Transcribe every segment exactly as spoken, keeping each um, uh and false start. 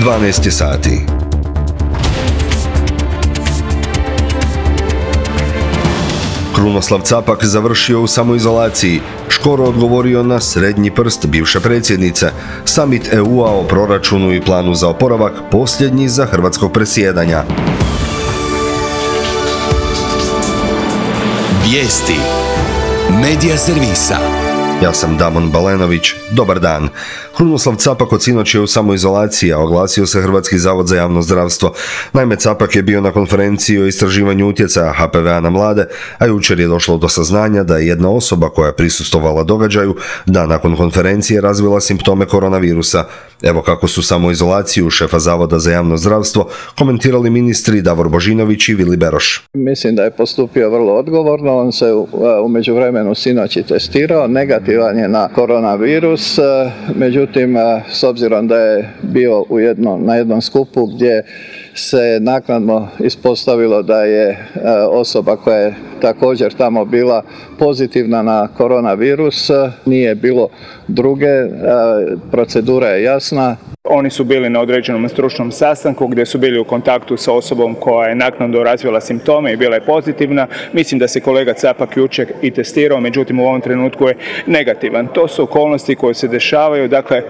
dvanaest je sati. Krunoslav Capak završio u samoizolaciji, Škoro odgovorio na srednji prst bivše predsjednice, summit E U-a o proračunu i planu za oporavak posljednji za hrvatskog predsjedanja. Vijesti Medija servisa. Ja sam Damon Balenović, dobar dan. Krunoslav Capak od sinoć je u samoizolaciji, a oglasio se Hrvatski zavod za javno zdravstvo. Naime, Capak je bio na konferenciji o istraživanju utjecaja H P V-a na mlade, a jučer je došlo do saznanja da je jedna osoba koja je prisustvovala događaju da nakon konferencije razvila simptome koronavirusa. Evo kako su samoizolaciju šefa Zavoda za javno zdravstvo komentirali ministri Davor Božinović i Vili Beroš. Mislim da je postupio vrlo odgovorno, on se u, u međuvremenu sinoć i testirao, negativan je na koronavirus, međutim s obzirom da je bio u jedno, na jednom skupu gdje se naknadno ispostavilo da je osoba koja je također tamo bila pozitivna na koronavirus, nije bilo druge, procedura je jasna. Oni su bili na određenom stručnom sastanku gdje su bili u kontaktu sa osobom koja je naknadno razvila simptome i bila je pozitivna. Mislim da se kolega Capak jučer i testirao, međutim u ovom trenutku je negativan. To su okolnosti koje se dešavaju, dakle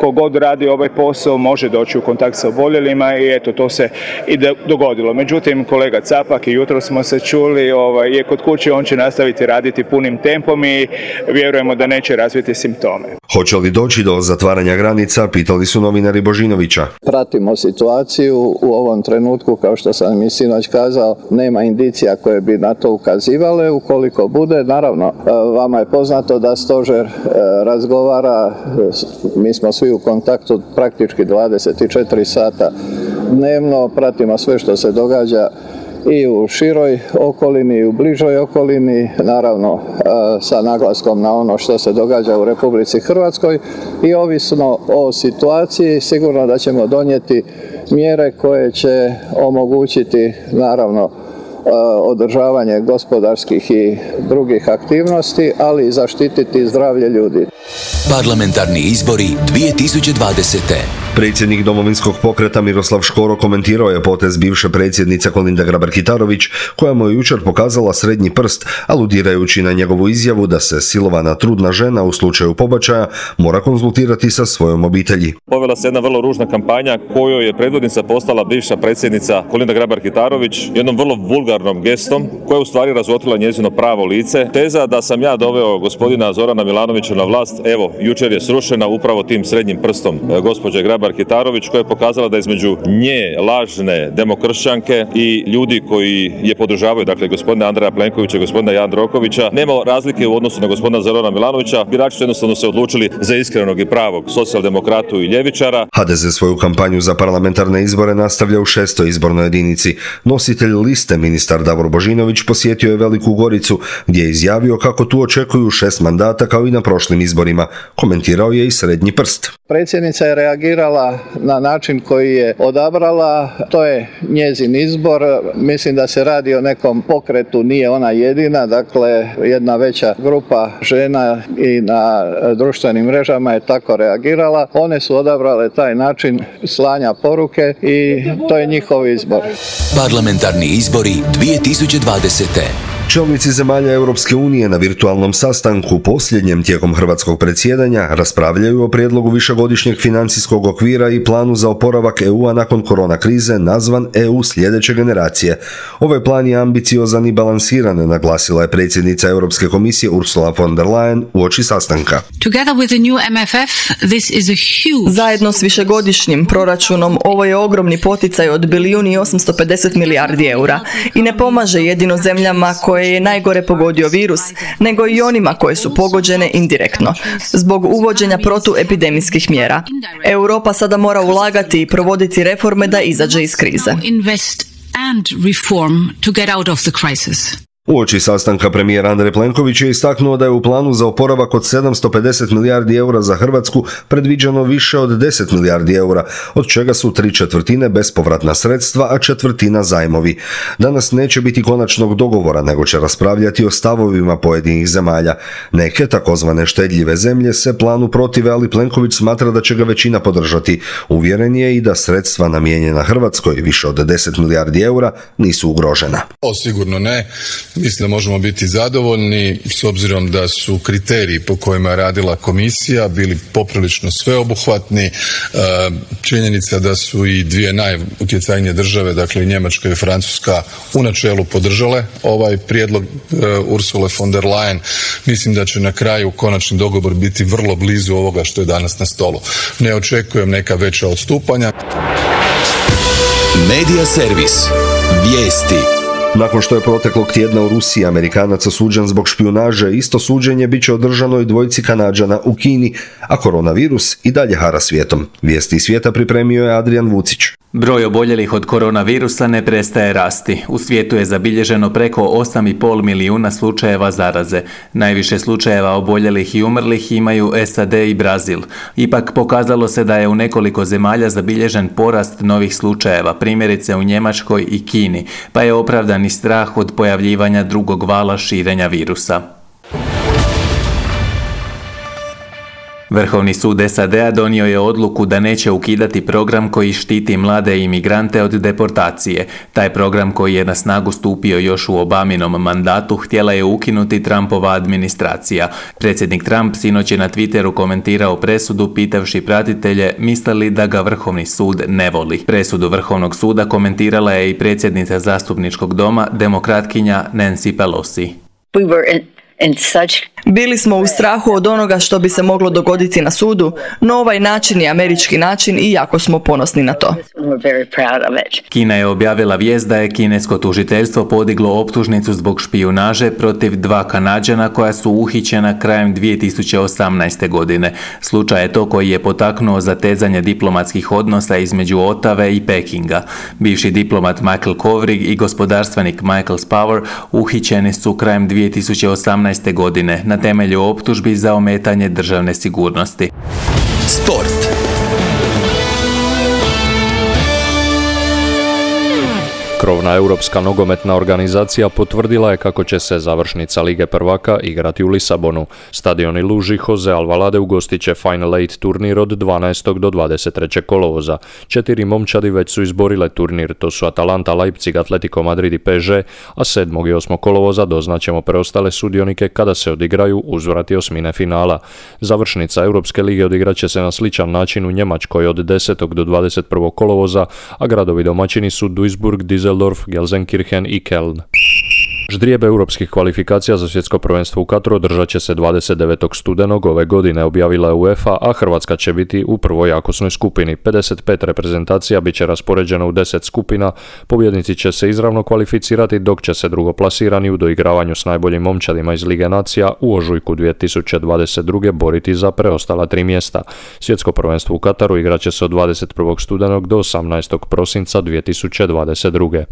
kogod radi ovaj posao može doći u kontakt sa oboljelima i eto to se i dogodilo. Međutim kolega Capak i jutro smo se čuli ovaj, je kod kuće, on će nastaviti raditi punim tempom i vjerujemo da neće razviti simptome. Hoće li doći do zatvaranja granica, pitali su novinari Božinovića. Pratimo situaciju u ovom trenutku, kao što sam i sinoć kazao, nema indicija koje bi na to ukazivale. Ukoliko bude, naravno, vama je poznato da stožer razgovara, mi smo svi u kontaktu praktički dvadeset četiri sata dnevno, pratimo sve što se događa i u široj okolini i u bližoj okolini, naravno sa naglaskom na ono što se događa u Republici Hrvatskoj i ovisno o situaciji sigurno da ćemo donijeti mjere koje će omogućiti naravno održavanje gospodarskih i drugih aktivnosti, ali i zaštititi zdravlje ljudi. Parlamentarni izbori dvije tisuće dvadesete. Predsjednik Domovinskog pokreta Miroslav Škoro komentirao je potez bivše predsjednice Kolinde Grabar-Kitarović, koja mu je jučer pokazala srednji prst, aludirajući na njegovu izjavu da se silovana trudna žena u slučaju pobačaja mora konzultirati sa svojom obitelji. Povela se jedna vrlo ružna kampanja kojoj je predvodnica postala bivša predsjednica Kolinda Grabar-Kitarović jednom vrlo vulgarnom gestom koja je u stvari razotkrila njezino pravo lice. Teza da sam ja doveo gospodina Zorana Milanovića na vlast, evo, jučer je srušena upravo tim srednjim prstom gospođe Grabar-Kitarović, koja je pokazala da između nje lažne demokršćanke i ljudi koji je podržavaju, dakle gospodina Andreja Plenkovića i gospodina Jandrokovića, nema razlike u odnosu na gospodina Zorana Milanovića. Birači su jednostavno se odlučili za iskrenog i pravog socijaldemokratu i ljevičara. H D Z svoju kampanju za parlamentarne izbore nastavlja u šestoj izbornoj jedinici. Nositelj liste, ministar Davor Božinović, posjetio je Veliku Goricu, gdje je izjavio kako tu očekuju šest mandata kao i na prošlim izborima. Komentirao je i srednji prst. Predsjednica je reagirala na način koji je odabrala, to je njezin izbor. Mislim da se radi o nekom pokretu, nije ona jedina, dakle jedna veća grupa žena i na društvenim mrežama je tako reagirala. One su odabrale taj način slanja poruke i to je njihov izbor. Parlamentarni izbori dvije tisuće dvadesete. Čelnici zemalja Europske unije na virtualnom sastanku posljednjem tijekom hrvatskog predsjedanja raspravljaju o prijedlogu višegodišnjeg financijskog okvira i planu za oporavak E U-a nakon korona krize nazvan E U sljedeće generacije. Ovaj plan je ambiciozan i balansiran, naglasila je predsjednica Europske komisije Ursula von der Leyen uoči sastanka. Zajedno s višegodišnjim proračunom ovo je ogromni poticaj od bilijun i osamsto pedeset milijardi eura i ne pomaže jedino zemljama koje je najgore pogodio virus, nego i onima koje su pogođene indirektno, zbog uvođenja protuepidemijskih mjera. Europa sada mora ulagati i provoditi reforme da izađe iz krize. Uoči sastanka premijer Andrej Plenković je istaknuo da je u planu za oporavak od sedamsto pedeset milijardi eura za Hrvatsku predviđeno više od deset milijardi eura, od čega su tri četvrtine bespovratna sredstva, a četvrtina zajmovi. Danas neće biti konačnog dogovora, nego će raspravljati o stavovima pojedinih zemalja. Neke takozvane štedljive zemlje se planu protive, ali Plenković smatra da će ga većina podržati. Uvjeren je i da sredstva namijenjena Hrvatskoj, više od deset milijardi eura, nisu ugrožena. O, sigurno ne. Mislim da možemo biti zadovoljni s obzirom da su kriteriji po kojima je radila komisija bili poprilično sveobuhvatni. Činjenica da su i dvije najutjecajnije države, dakle i Njemačka i Francuska, u načelu podržale ovaj prijedlog Ursule von der Leyen. Mislim da će na kraju konačni dogovor biti vrlo blizu ovoga što je danas na stolu. Ne očekujem neka veća odstupanja. Media servis. Vijesti. Nakon što je proteklog tjedna u Rusiji Amerikanac osuđen zbog špijunaže, isto suđenje bit će održano i dvojici Kanađana u Kini, a koronavirus i dalje hara svijetom. Vijesti iz svijeta pripremio je Adrian Vucić. Broj oboljelih od koronavirusa ne prestaje rasti. U svijetu je zabilježeno preko osam i pol milijuna slučajeva zaraze. Najviše slučajeva oboljelih i umrlih imaju S A D i Brazil. Ipak pokazalo se da je u nekoliko zemalja zabilježen porast novih slučajeva, primjerice u Njemačkoj i Kini, pa je opravdan i strah od pojavljivanja drugog vala širenja virusa. Vrhovni sud S A D-a donio je odluku da neće ukidati program koji štiti mlade imigrante od deportacije. Taj program, koji je na snagu stupio još u Obaminom mandatu, htjela je ukinuti Trumpova administracija. Predsjednik Trump sinoć je na Twitteru komentirao presudu pitavši pratitelje misle li da ga Vrhovni sud ne voli. Presudu Vrhovnog suda komentirala je i predsjednica zastupničkog doma, demokratkinja Nancy Pelosi. We were in Bili smo u strahu od onoga što bi se moglo dogoditi na sudu, no ovaj način je američki način i jako smo ponosni na to. Kina je objavila vijest da je kinesko tužiteljstvo podiglo optužnicu zbog špijunaže protiv dva Kanađana koja su uhićena krajem dvije tisuće osamnaeste. godine. Slučaj je to koji je potaknuo zatezanje diplomatskih odnosa između Otave i Pekinga. Bivši diplomat Michael Kovrig i gospodarstvenik Michael Spavor uhićeni su krajem dvije tisuće osamnaeste. godine na temelju optužbi za ometanje državne sigurnosti. Sport. Krovna europska nogometna organizacija potvrdila je kako će se završnica Lige prvaka igrati u Lisabonu. Stadion i luži Jose Alvalade ugostit će Final Eight turnir od dvanaestog do dvadeset trećeg kolovoza. Četiri momčadi već su izborile turnir, to su Atalanta, Leipzig, Atletico Madrid i P S G, a sedmog i osmog kolovoza doznaćemo preostale sudionike kada se odigraju uzvrati osmine finala. Završnica Europske lige odigrat će se na sličan način u Njemačkoj od desetog do dvadeset prvog kolovoza, a gradovi domaćini su Duisburg, Düsseldorf, Gelsenkirchen i Köln. Ždrijeb europskih kvalifikacija za svjetsko prvenstvo u Katru održat će se dvadeset devetog studenog ove godine, objavila je UEFA, a Hrvatska će biti u prvoj jakosnoj skupini. pedeset pet reprezentacija bit će raspoređeno u deset skupina, pobjednici će se izravno kvalificirati, dok će se drugoplasirani u doigravanju s najboljim momčadima iz Lige nacija u ožujku dvije tisuće dvadeset druge boriti za preostala tri mjesta. Svjetsko prvenstvo u Kataru igrat će se od dvadeset prvog studenog do osamnaestog prosinca dvije tisuće dvadeset druge.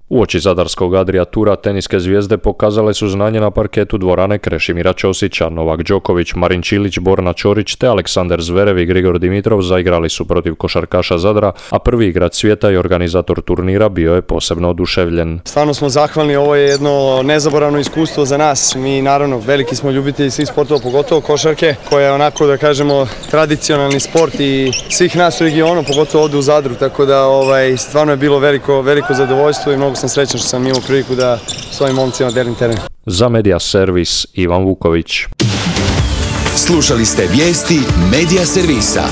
Uoči zadarskog Adria Tura teniske zvijezde pokazale su znanje na parketu dvorane Krešimira Ćosića. Novak Đoković, Marin Čilić, Borna Ćorić te Aleksandar Zverev i Grigor Dimitrov zaigrali su protiv košarkaša Zadra, a prvi igrač svijeta i organizator turnira bio je posebno oduševljen. Stvarno smo zahvalni, ovo je jedno nezaboravno iskustvo za nas. Mi naravno veliki smo ljubitelji svih sportova, pogotovo košarke, koja je onako da kažemo tradicionalni sport i svih nas u regionu, pogotovo ovdje u Zadru, tako da ovaj, stvarno je bilo veliko, veliko zadovoljstvo i mnogo sam srećan što sam imao priliku da s ovim momcima delim teren. Za Media servis Ivan Vuković. Slušali ste vijesti Media servisa.